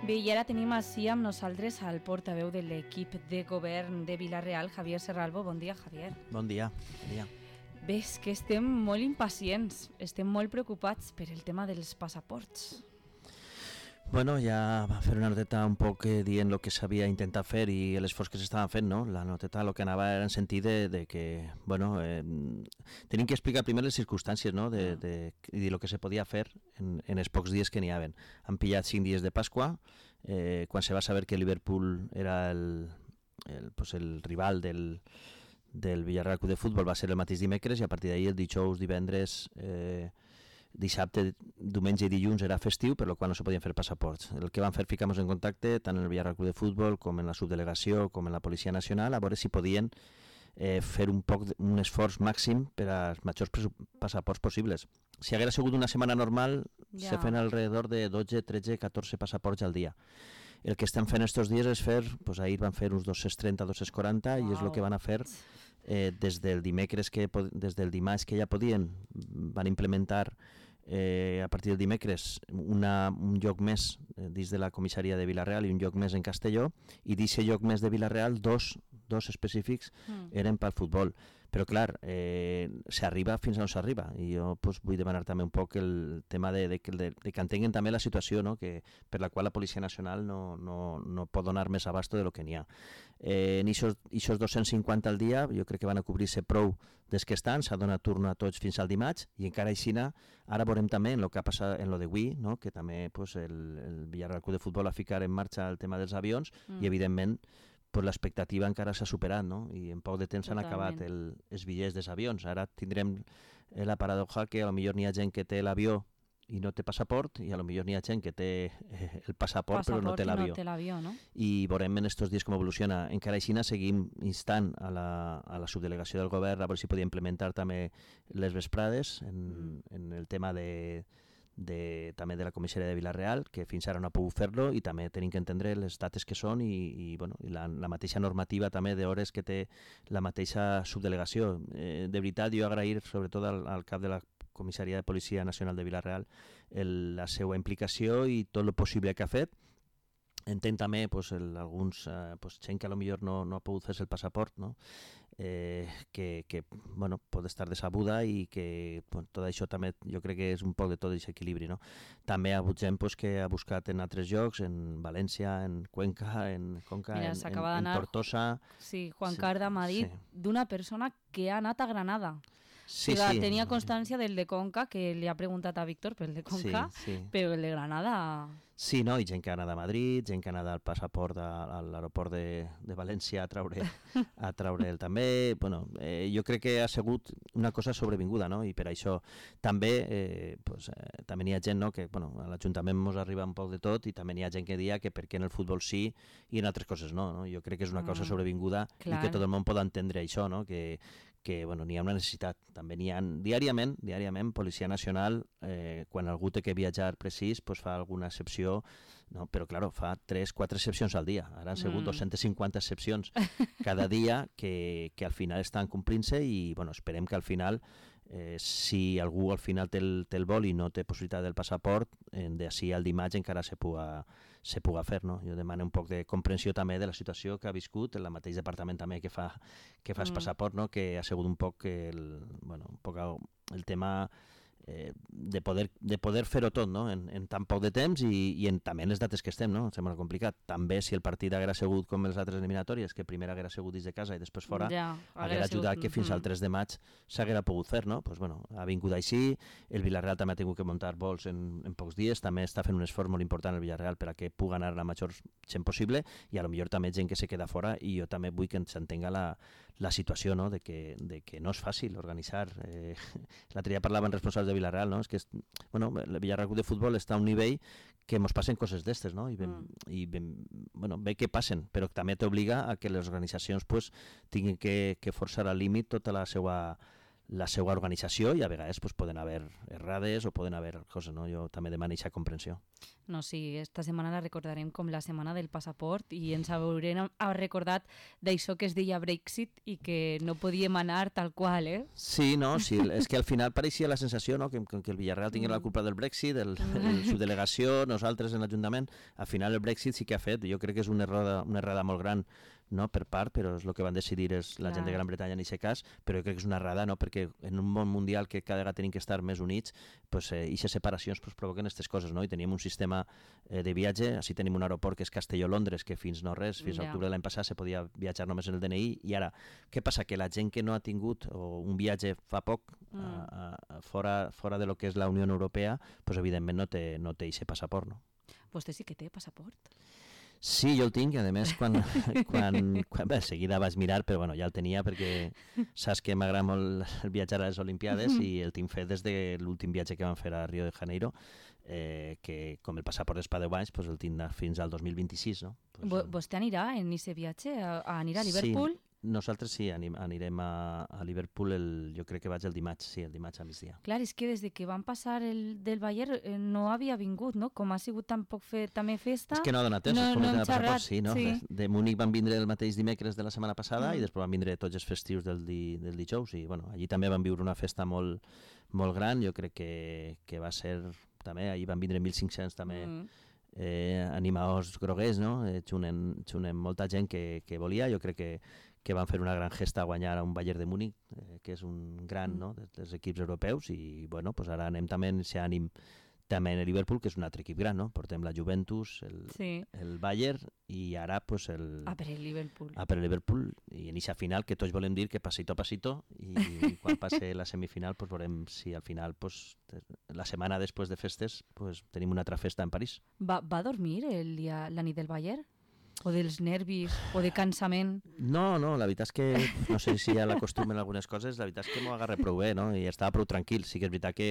Bé, i ara tenim així amb nosaltres al portaveu de l'equip de govern de Vila-real, Javier Serralbo. Bon dia, Javier. Bon dia. Bon dia. Bé, és que estem molt impacients, estem molt preocupats per el tema dels passaports. Bueno, ja va fer una noteta un poc dient el que s'havia intentat fer i l'esforç que s'estaven fent, no? La noteta el que anava era en sentit de que, bueno, tenim que explicar primer les circumstàncies, no? I el que se podia fer en els pocs dies que n'hi havia. Han pillat 5 dies de Pasqua, quan se va saber que Liverpool era el rival del Villarreal Club de Futbol, va ser el mateix dimecres, i a partir d'ahir el dijous, divendres, dissabte, diumenge i dilluns era festiu, per la qual no se podien fer passaports. El que van fer, ficar-nos en contacte tant en el Villarreal Club de Futbol com en la subdelegació com en la Policia Nacional, a veure si podien fer un esforç màxim per als majors passaports possibles. Si haguera sigut una setmana normal, se feien alrededor de 12, 13, 14 passaports al dia. El que estem fent estos dies és fer, doncs ahir van fer uns 230, 240, i és el que van a fer des del dimarts que ja podien. Van implementar a partir del dimecres un lloc més dins de la comissaria de Vila-real i un lloc més en Castelló, i d'aquest lloc més de Vila-real dos específics eren pel futbol. Però clar, s'arriba fins on s'arriba, i jo vull demanar també un poc el tema de que entenguin també la situació, no? Per la qual la Policia Nacional no pot donar més abasto de lo que n'hi ha. En aquests 250 al dia jo crec que van a cobrir-se prou des que estan, s'ha donat turno a tots fins al dimarts, i encara així ara veurem també en el que ha passat en lo d'avui, no? Que també el Villarreal Club de Futbol ha ficat en marxa el tema dels avions, i evidentment l'expectativa encara s'ha superat, no? I en poc de temps s'han acabat els bitllets dels avions. Ara tindrem la paradoxa que potser n'hi ha gent que té l'avió i no té passaport, i potser n'hi ha gent que té el passaport però no té l'avió. No? I veurem en aquests dies com evoluciona. Encara així seguim instant a la subdelegació del govern a veure si podia implementar també les vesprades en el tema també de la comissaria de Vila-real, que fins ara no ha pogut fer-lo, i també tenim que entendre les dates que són i la mateixa normativa també d'hores que té la mateixa subdelegació. De veritat, jo agrair sobretot al cap de la comissaria de Policia Nacional de Vila-real la seva implicació i tot el possible que ha fet. Entenc també alguns gent que potser no ha pogut fer-se el passaport, no? Que pot estar decebuda, i que tot això també jo crec que és un poc de tot aquest equilibri, no? També hi ha hagut gent que ha buscat en altres llocs, en València, en Cuenca, en Conca, en Tortosa. Sí, Juan Carda m'ha dit d'una persona que ha anat a Granada. Sí. Tenia constància del de Conca, que li ha preguntat a Víctor pel de Conca, però el de Granada... Sí, no? I gent que ha anat a Madrid, gent que ha anat al passaport a l'aeroport de València a traure'l també. Jo crec que ha sigut una cosa sobrevinguda, no? I per això també també n'hi ha gent, no? Que a l'Ajuntament ens arriba un poc de tot, i també n'hi ha gent que dia que per què en el futbol sí i en altres coses no? Jo crec que és una cosa sobrevinguda, i que tot el món pot entendre això, no? Que n'hi ha una necessitat. També n'hi ha diàriament Policia Nacional, quan algú té que viatjar precís, fa alguna excepció, no? Però clar, fa 3-4 excepcions al dia. Ara han sigut 250 excepcions cada dia que al final estan complint-se, i esperem que al final, si algú al final té el vol i no té possibilitat del passaport, d'ací al dimarts encara se puga fer, no? Jo demano un poc de comprensió també de la situació que ha viscut el mateix departament també que fa el passaport, no? Que ha sigut un poc el tema de poder fer-ho tot, no? En tan poc de temps, i també en les dates que estem, no? Sembla complicat. També si el partit haguera sigut com les altres eliminatòries, que primer haguera sigut dins de casa i després fora, haguera ajudat que fins al 3 de maig s'haguera pogut fer, no? Ha vingut així. El Villarreal també ha tingut que muntar vols en pocs dies, també està fent un esforç molt important el Villarreal per a que pugui anar la major gent possible, i a lo millor també gent que se queda fora, i jo també vull que s'entenga la situació, no? De que no és fàcil organitzar. L'altre dia parlaven responsables de Vila-real, no? És que el Villarreal de Futbol està a un nivell que ens passen coses d'estes, no? I bé que passen, però també t'obliga a que les organitzacions tinguin que forçar al límit tota la seva la seva organització i a vegades pues, poden haver errades o poden haver coses, no? Jo també demano aquesta comprensió. No, sí, esta setmana la recordarem com la setmana del passaport i ens haurem recordat d'això que es deia Brexit i que no podíem anar tal qual, eh? Sí, no, sí, és que al final pareixia la sensació, no?, que el Villarreal tingués la culpa del Brexit, su delegació, nosaltres en l'Ajuntament. Al final el Brexit sí que ha fet, jo crec que és una errada molt gran, no, per part, però és el que van decidir és la gent de Gran Bretanya en aquest cas, però jo crec que és una errada, no?, perquè en un món mundial que cada vegada tenim que estar més units, pues, aquestes separacions pues, provoquen aquestes coses, no? I teníem un sistema de viatge, així tenim un aeroport que és Castelló-Londres, que fins no res, fins a octubre de l'any passat se podia viatjar només en el DNI, i ara, què passa? Que la gent que no ha tingut un viatge fa poc fora de lo que és la Unió Europea, pues, evidentment no té aquest passaport, no? Vostè sí que té passaport? Sí, jo el tinc, i a més quan bé, seguida vaig mirar, però bueno, ja el tenia perquè saps que m'agrada molt el viatjar a les Olimpiades i el tinc fet des de l'últim viatge que vam fer a Rio de Janeiro, que com el passaport és per 10 anys, pues el tinc fins al 2026, no? Pues, vostè anirà en aquest viatge? Anirà a Liverpool? Sí. Nosaltres sí, anirem a Liverpool, jo crec que vaig el dimarts a migdia. Clar, és que des que van passar del Bayern no havia vingut, no? Com ha sigut tampoc també festa... És que no ha donat temps, no hem xerrat. Sí, no? Sí. De Múnich van vindre el mateix dimecres de la setmana passada i després van vindre tots els festius del dijous i bueno, allí també van viure una festa molt, molt gran, jo crec que va ser també, allí van vindre 1.500 també animadors groguers, no? Xunen molta gent que volia, jo crec que van fer una gran gesta a guanyar a un Bayern de Múnich, que és un gran dels equips europeus, i bueno, pues ara anem també en aquest ànim també en el Liverpool, que és un altre equip gran, no? Portem la Juventus, el Bayern, i ara pues el Liverpool, i en aquesta final que tots volem dir que pasito a pasito, i quan passe la semifinal pues veurem si al final pues, la setmana després de festes pues, tenim una altra festa en París. Va dormir la nit del Bayern? O dels nervis, o de cansament? No, la veritat és que, no sé si ja l'acostumen algunes coses, la veritat és que m'ho agarré prou bé, no? I estava prou tranquil. Sí que és veritat que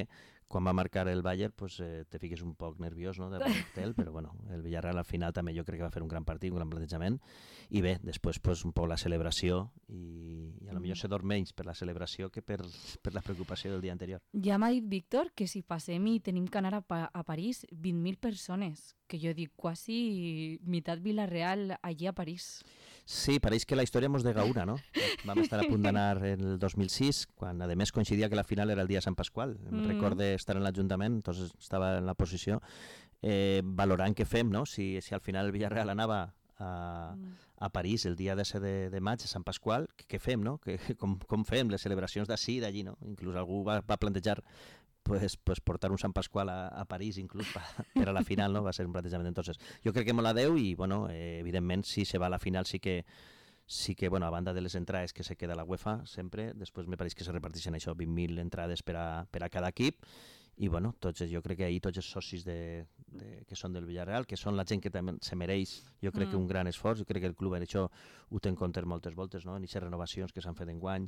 quan va marcar el Bayern pues, te fiques un poc nerviós, no?, però bueno, el Villarreal al final també jo crec que va fer un gran partit, un gran plantejament, i bé, després pues, un poc la celebració, i a lo millor se dorm menys per la celebració que per la preocupació del dia anterior. Ja m'ha dit Víctor que si passem i tenim que anar a París 20.000 persones, que jo dic quasi meitat Villarreal allí a París. Sí, pareix que la història mos dega una, no? Vam estar a punt d'anar el 2006, quan a més coincidia que la final era el dia de Sant Pasqual. Em recordo estar en l'Ajuntament, entonces estava en la posició, valorant què fem, no? Si al final el Villarreal anava a París el dia de maig, a Sant Pasqual, què fem, no? Com fem les celebracions d'ací i d'allí, no? Inclús algú va plantejar pues portar un Sant Pasqual a París inclús per a la final, no? Va ser un plantejament. Entonces, jo crec que molt adeu i, bueno, evidentment, si se va a la final sí que, bueno, a banda de les entrades que se queda la UEFA sempre, després me pareix que se reparteixen això, 20.000 entrades per a cada equip, i bueno, jo crec que ahir tots els socis que són del Villarreal, que són la gent que també se mereix, jo crec que un gran esforç, jo crec que el club en això ho té en compte moltes voltes, no? En aquestes renovacions que s'han fet enguany,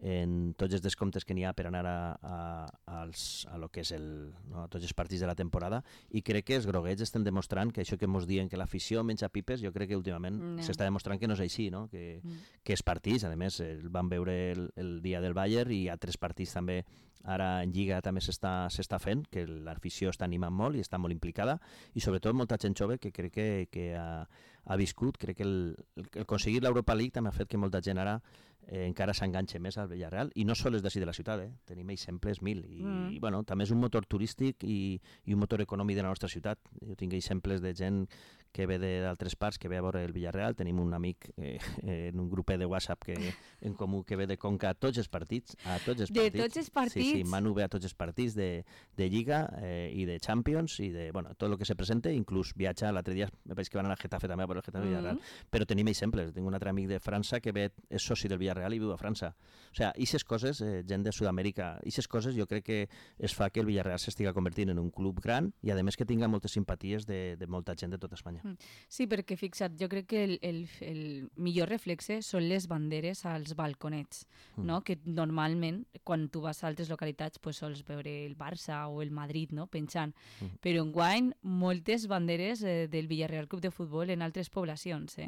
en tots els descomptes que n'hi ha per anar a lo que és a tots els partits de la temporada, i crec que els groguets estem demostrant que això que ens diuen que l'afició menja pipes, jo crec que últimament s'està demostrant que no és així, no? Que els partits, a més, van veure el dia del Bayern i altres partits també, ara en Lliga també s'està fent, que l'afició està animant molt i està molt implicada, i sobretot molta gent jove que crec que ha viscut. Crec que el aconseguir l'Europa League també ha fet que molta gent ara encara s'enganxa més al Villarreal, i no sols d'ací de la ciutat, tenim exemples mil, i bueno, també és un motor turístic i un motor econòmic de la nostra ciutat. Jo tinc exemples de gent que ve d'altres parts, que ve a veure el Villarreal. Tenim un amic en un grupet de WhatsApp en comú que ve de Conca a tots els partits. De tots els partits? Sí, Manu ve a tots els partits de Lliga i de Champions i de, bueno, tot el que se presenta, inclús viatja. L'altre dia me pareix que van anar a Getafe també a veure el Getafe Villarreal, però tenim exemples. Tinc un altre amic de França que és soci del Villarreal i viu a França. O sigui, aquestes coses, gent de Sud-amèrica, aquestes coses jo crec que es fa que el Villarreal s'estiga convertint en un club gran i a més que tinga moltes simpaties de molta gent de tota Espanya. Sí, perquè fixa't, jo crec que el millor reflexe són les banderes als balconets, no? Que normalment quan tu vas a altres localitats pues, sols veure el Barça o el Madrid, no? Penjant, però enguany moltes banderes del Villarreal Club de Futbol en altres poblacions,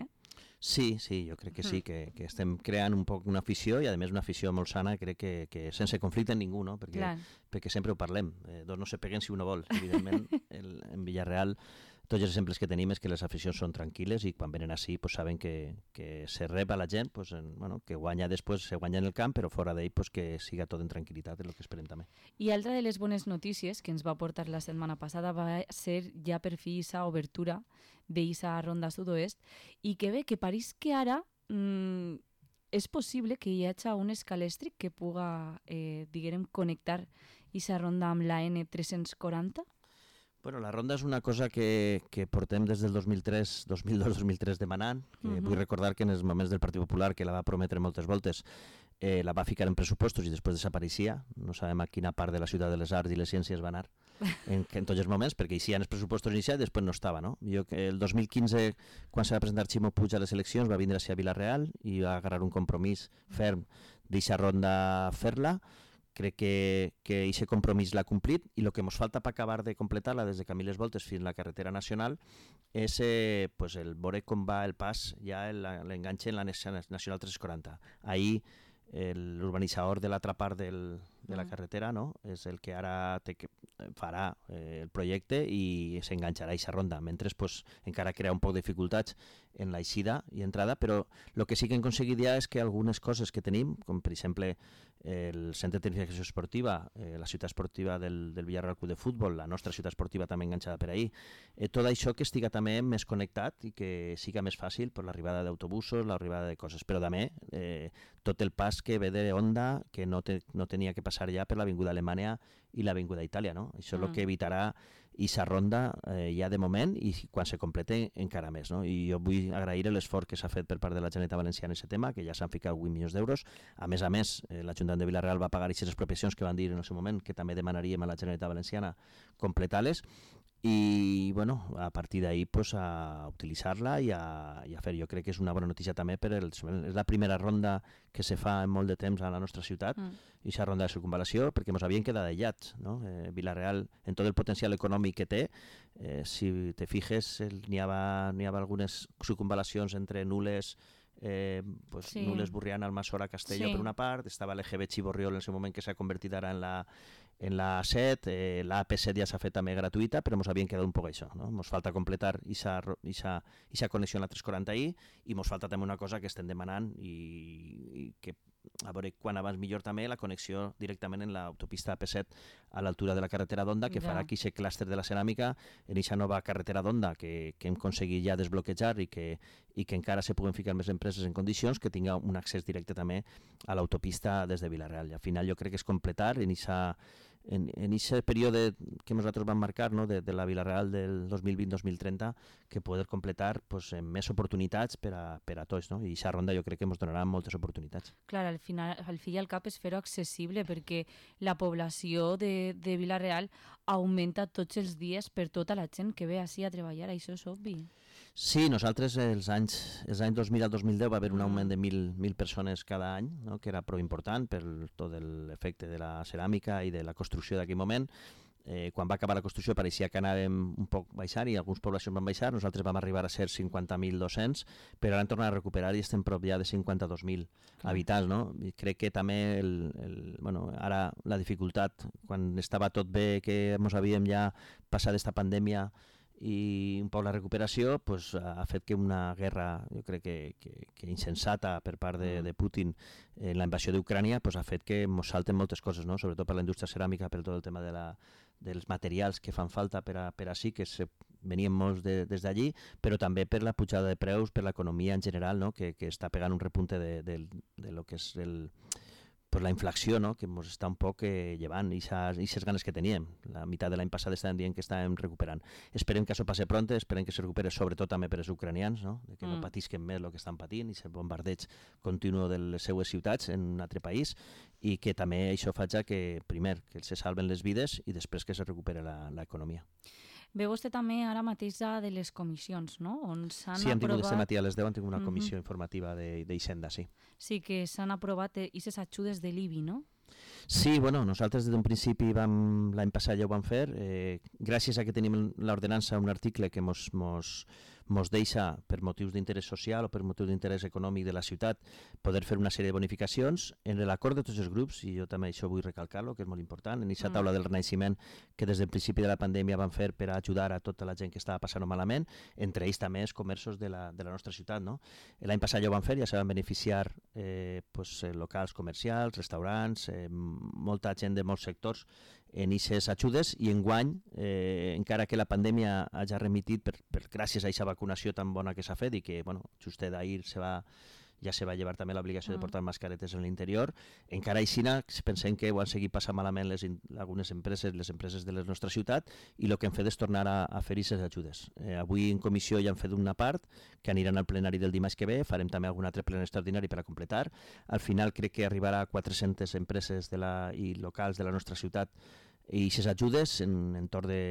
Sí, jo crec que sí, que estem creant un poc una afició i a més una afició molt sana, crec que sense conflicte amb ningú, no? Perquè sempre ho parlem, dos no se peguen si uno vol, evidentment en Villarreal tots els exemples que tenim és que les aficions són tranquil·les i quan venen així pues, saben que se rep a la gent, pues, que guanya després, se guanya en el camp, però fora d'ell pues, que siga tot en tranquil·litat, és el que esperem també. I altra de les bones notícies que ens va portar la setmana passada va ser ja per fi aquesta obertura d'eixa ronda sud-oest i que bé, que pareix que ara és possible que hi hagi un escalèstric que puga, diguem, connectar aquesta ronda amb la N340. Bueno, la ronda és una cosa que portem des del 2002-2003 demanant. Vull recordar que en els moments del Partit Popular, que la va prometre moltes voltes, la va ficar en pressupostos i després desapareixia. No sabem a quina part de la ciutat de les arts i les ciències va anar en tots els moments, perquè hi havia els pressupostos inicials i després no estava. No? El 2015, quan se va presentar Ximo Puig a les eleccions, va vindre a Vilareal i va agarrar un compromís ferm d'eixa ronda fer-la. Crec que aquest compromís l'ha complit i el que ens falta per acabar de completar-la des de Camí les Voltes fins a la carretera nacional és pues, el veure com va el pas, ja l'enganxe en la Nacional 340. Ahir l'urbanitzador de l'altra part de la carretera, no? És el que ara farà el projecte i s'enganxarà a aquesta ronda, mentre pues, encara crea un poc de dificultats en l'eixida i entrada, però el que sí que hem aconseguit ja és que algunes coses que tenim, com per exemple el centre de tecnificació esportiva, la ciutat esportiva del Villarreal Club de Futbol, la nostra ciutat esportiva també enganxada per ahir, tot això que estiga també més connectat i que siga més fàcil per l'arribada d'autobusos, l'arribada de coses, però també tot el pas que ve de Honda, que no tenia que passar ja per l'Avinguda Alemanya i l'Avinguda Itàlia, no? Això és el que evitarà aquesta ronda ja de moment i quan se complete encara més, no? I jo vull agrair l'esforç que s'ha fet per part de la Generalitat Valenciana en aquest tema, que ja s'han ficat 8 milions d'euros. A més, l'Ajuntament de Vilareal va pagar aquestes expropiacions que van dir en el seu moment que també demanaríem a la Generalitat Valenciana completar-les i bueno, a partir d'ahir pues, a utilitzar-la i a fer. Jo crec que és una bona notícia també és la primera ronda que se fa en molt de temps a la nostra ciutat i aquesta ronda de circunvalació perquè ens havien quedat aïllats, no? Vilareal, en tot el potencial econòmic que té, si te fijes n'hi havia algunes circunvalacions entre Nules, Nules, Burriana, Almassora, Castelló per una part, estava l'EGB Xiborriol en el moment que s'ha convertit ara en la 7, la AP7 ja s'ha fet també gratuïta, però ens havien quedat un poc això, no? Ens falta completar aquesta connexió en la 340i i ens falta també una cosa que estem demanant i que a veure quan abans millor també la connexió directament en l'autopista AP7 a l'altura de la carretera d'Onda, que farà aquí aquest clúster de la ceràmica en aquesta nova carretera d'Onda que hem aconseguit ja desbloquejar i que encara se puguen ficar més empreses en condicions, que tinga un accés directe també a l'autopista des de Vilareal. I al final jo crec que és completar en aquest període que nosaltres vam marcar, no, de la Vilareal del 2020-2030, que poder completar pues, més oportunitats per a tots, no? I aquesta ronda jo crec que ens donarà moltes oportunitats. Clar, al fi i al cap és fer-ho accessible perquè la població de Vilareal augmenta tots els dies per tota la gent que ve així a treballar, això és obvi. Sí, nosaltres els anys 2000 al 2010 va haver un augment de 1.000 persones cada any, no? Que era prou important per tot l'efecte de la ceràmica i de la construcció d'aquell moment. Quan va acabar la construcció pareixia que anàvem un poc baixant i algunes poblacions van baixar, nosaltres vam arribar a ser 50.200, però ara hem tornat a recuperar i estem prop ja de 52.000 habitants, no? I crec que també ara la dificultat, quan estava tot bé, que ens havíem ja passat aquesta pandèmia i un poc la recuperació pues, ha fet que una guerra, jo crec que insensata per part de Putin en la invasió d'Ucrània pues, ha fet que ens salten moltes coses, no? Sobretot per la indústria ceràmica, per tot el tema dels materials que fan falta per a sí, que venien molts des d'allí, però també per la pujada de preus, per l'economia en general, no? que està pegant un repunte de lo que és pues la inflació, no? Que ens està un poc llevant i aquestes ganes que teníem. La meitat de l'any passat estàvem dient que estàvem recuperant. Esperem que això passi pronte, esperem que se recuperi sobretot també per als ucranians, no? Que no patisquen més el que estan patint i el bombardeig continu de les seues ciutats en un altre país i que també això faci que, primer, que se salven les vides i després que se recuperi l'economia. Ve vostè també ara mateix de les comissions, no? On s'han sí, hem tingut aquest matí a les 10, hem tingut una comissió informativa d'Hisenda, sí. Sí, que s'han aprovat aquestes ajudes de l'IBI, no? Sí, bueno, nosaltres des d'un principi l'any passat ja ho vam fer, gràcies a que tenim l'ordenança, un article que mos mos deixa, per motius d'interès social o per motius d'interès econòmic de la ciutat, poder fer una sèrie de bonificacions en l'acord de tots els grups, i jo també això vull recalcar-lo, que és molt important, en aquesta taula del renaixement que des del principi de la pandèmia van fer per ajudar a tota la gent que estava passant malament, entre ells també els comerços de la nostra ciutat. No? L'any passat ja ho van fer, ja se van beneficiar locals comercials, restaurants, molta gent de molts sectors en aquestes ajudes, i enguany, encara que la pandèmia hagi remitit gràcies a aquesta vacunació tan bona que s'ha fet i que, bueno, justet d'ahir ja se va llevar també l'obligació de portar mascaretes en l'interior, encara així pensem que ho han seguit passant malament algunes empreses, les empreses de la nostra ciutat, i el que hem fet és tornar a fer aquestes ajudes. Avui en comissió ja hem fet una part que aniran al plenari del dimarts que ve, farem també algun altre plenari extraordinari per a completar. Al final crec que arribarà a 400 empreses i locals de la nostra ciutat i aquestes ajudes en entorn de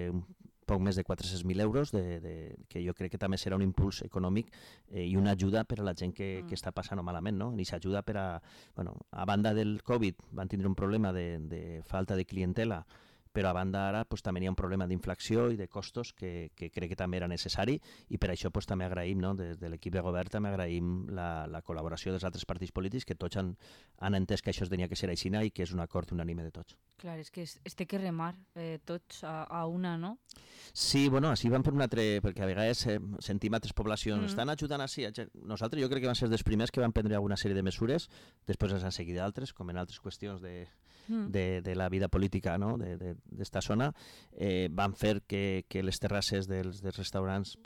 poc més de 400.000 euros, que jo crec que també serà un impuls econòmic i una ajuda per a la gent que està passant malament, no? I s'ajuda per a... Bueno, a banda del Covid van tindre un problema de falta de clientela, però a banda ara també hi ha un problema d'inflació i de costos que crec que també era necessari, i per això també agraïm, no? Des de l'equip de govern també agraïm la col·laboració dels altres partits polítics, que tots han entès que això tenia que ser així i que és un acord unànime de tots. Clar, és que es té que remar tots a una, no? Sí, bueno, així van fer un altre, perquè a vegades sentim altres poblacions, estan ajudant així. Nosaltres jo crec que van ser dels primers que van prendre alguna sèrie de mesures, després ens han seguit d'altres, com en altres qüestions de la vida política, no? D'esta zona. Van fer que les terrasses dels restaurants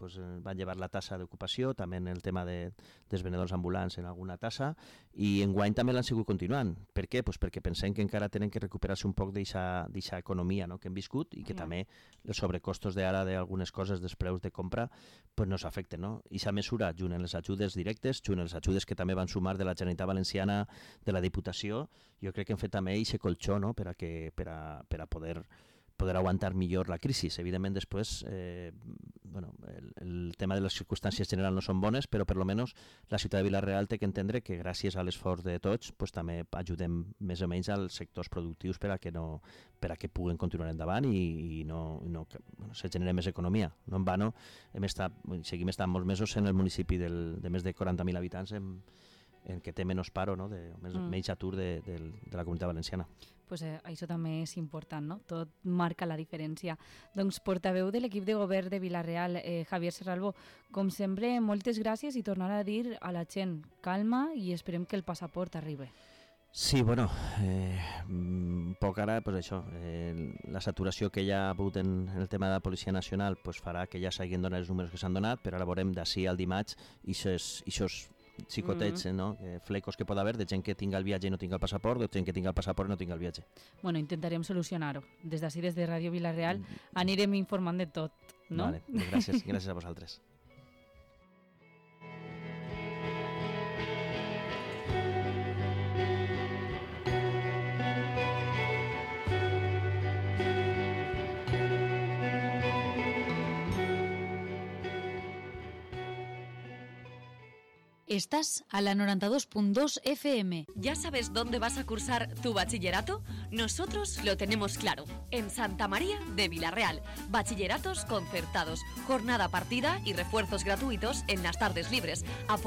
van llevar la tassa d'ocupació, també en el tema dels venedors ambulants en alguna tassa, i enguany també l'han sigut continuant. Per què? Perquè pensem que encara tenen que recuperar-se un poc d'aquesta economia que hem viscut, i que també els sobrecostos d'ara d'algunes coses, dels preus de compra, no s'afecten. I aquesta mesura, junt amb les ajudes directes, junt amb les ajudes que també van sumar de la Generalitat Valenciana, de la Diputació, jo crec que hem fet també aquest colxó per a poder aguantar millor la crisi. Evidentment, després, el tema de les circumstàncies generals no són bones, però per almenys la ciutat de Vila-real té que entendre que gràcies a l'esforç de tots també ajudem més o menys als sectors productius per a que puguen continuar endavant i se generi més economia. No en vano, seguim estant molts mesos en el municipi de més de 40.000 habitants en què té menys paro, menys atur de la comunitat valenciana. Pues això també és important, no? Tot marca la diferència. Doncs portaveu de l'equip de govern de Vila-real, Javier Serralbo, com sempre, moltes gràcies, i tornar a dir a la gent calma i esperem que el passaport arribi. Sí, bueno, un poc ara, això, la saturació que hi ha hagut en el tema de la Policia Nacional farà que ja s'hagin donat els números que s'han donat, però ara veurem d'ací al dimarts aquests xicotets, flecos que pot haver de gent que tinga el viatge i no tinga el passaport, de gent que tinga el passaport i no tinga el viatge. Bueno, intentarem solucionar-ho. Des d'ací, des de Ràdio Vila-real, anirem informant de tot, no? Vale, gràcies a vosaltres. Estás a la 92.2 FM. ¿Ya sabes dónde vas a cursar tu bachillerato? Nosotros lo tenemos claro. En Santa María de Vila-real. Bachilleratos concertados, jornada partida y refuerzos gratuitos en las tardes libres.